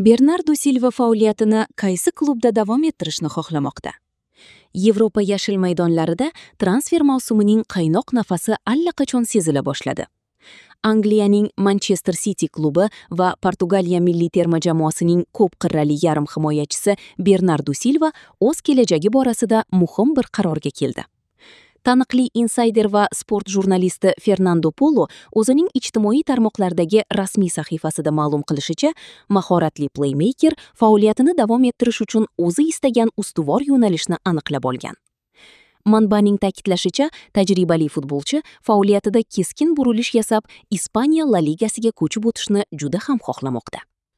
Bernardu Silva faoliyatini qaysi klubda davom ettirishni xohlamoqda? Yevropa yashil maydonlarida transfer mavsumining qaynoq nafasi allaqachon sezila boshladi. Angliyaning Manchester City klubi va Portugaliya milliy terma jamoasining ko'p qirrali yarim himoyachisi Bernardu Silva o'z kelajagi borasida muhim bir qarorga keldi. Taniqli insayder va sport jurnalisti Fernando Polo o'zining ijtimoiy tarmoqlardagi rasmiy sahifasida ma'lum qilishicha, mahoratli playmaker faoliyatini davom ettirish uchun o'zi istagan ustuvor yo'nalishni aniqlab olgan. Manbaning ta'kidlashicha, tajribali futbolchi faoliyatida keskin burilish yasab, Ispaniya La Ligasiga ko'chib o'tishni juda ham xohlamoqda.